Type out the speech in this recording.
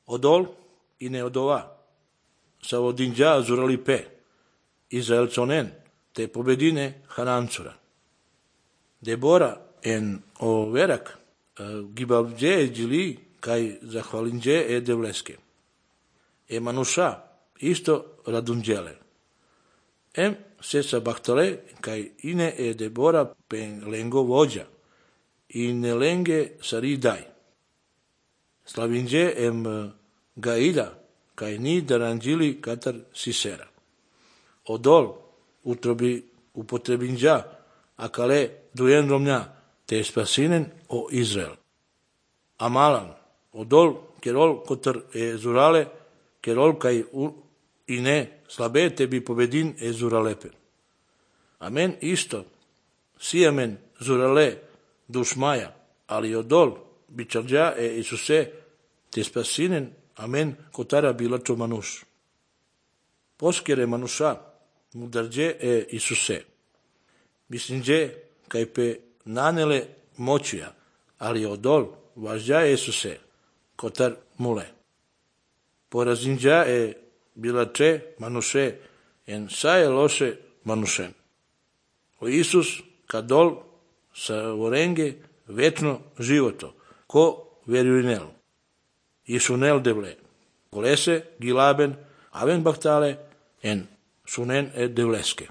Odol i ne odova, sa odinđa zurali pe, Izraelconen, te pobedine Hanancura. Debora en o verak, gibavđe džili, kaj zahvalinđe e devleske. E manuša, isto radunđele. Em se sa bahtale, kaj ine e Debora pen lengo vođa, i ne lenge sari daj. Slavinđe em gaila, kaj ni daranđili katar Sisera. Odol utrobi upotrebinđa, a kale dujen romnja, te spasinen o Izrael. Amalan, odol kerol kotar e zurale, kerol kaj i ne slabe tebi pobedin e zuralepe. Amen isto, sijamen zurale dušmaja, ali odol bičarđa e Isuse, te spasinen, amen kotara bilačo manuš. Poskere manuša, mudarđe e Isuse. Mislinđe, kaj pe nanele moćuja, ali odol važđa e Isuse, kotar mule. Porazinđa e bilače manuše, en saje loše manušen. O Isus, kadol sa vorenge večno životo, ko verjuinel. Isunel devle. Kolese, gilaben, aven bahtale, en sunen e devleske.